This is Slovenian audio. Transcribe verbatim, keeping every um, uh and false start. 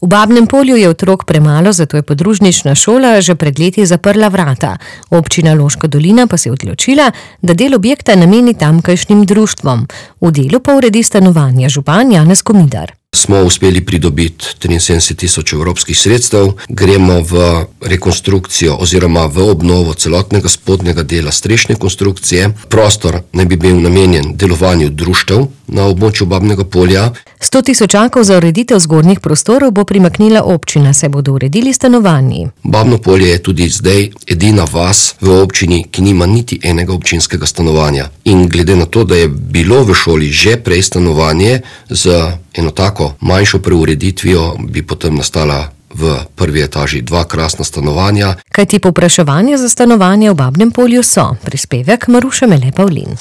V Babnem Polju je otrok premalo, zato je podružnična šola že pred leti zaprla vrata. Občina Loška dolina pa se je odločila, da del objekta nameni tamkajšnjim društvom. V delu pa uredi stanovanja župan Janez Komidar. Smo uspeli pridobiti triinsedemdeset tisoč evropskih sredstev, gremo v rekonstrukcijo oziroma v obnovo celotnega spodnjega dela strešne konstrukcije. Prostor naj bi bil namenjen delovanju društev na območju Babnega Polja. sto tisočakov za ureditev zgornjih prostorov bo primaknila občina, se bodo uredili stanovanji. Babno Polje je tudi zdaj edina vas v občini, ki nima niti enega občinskega stanovanja. In glede na to, da je bilo v šoli že prej stanovanje z eno tako manjšo preureditvijo, bi potem nastala v prvi etaži dva krasna stanovanja. Kajti povpraševanje za stanovanje v Babnem Polju so. Prispevek Maruše Mele Pavlin.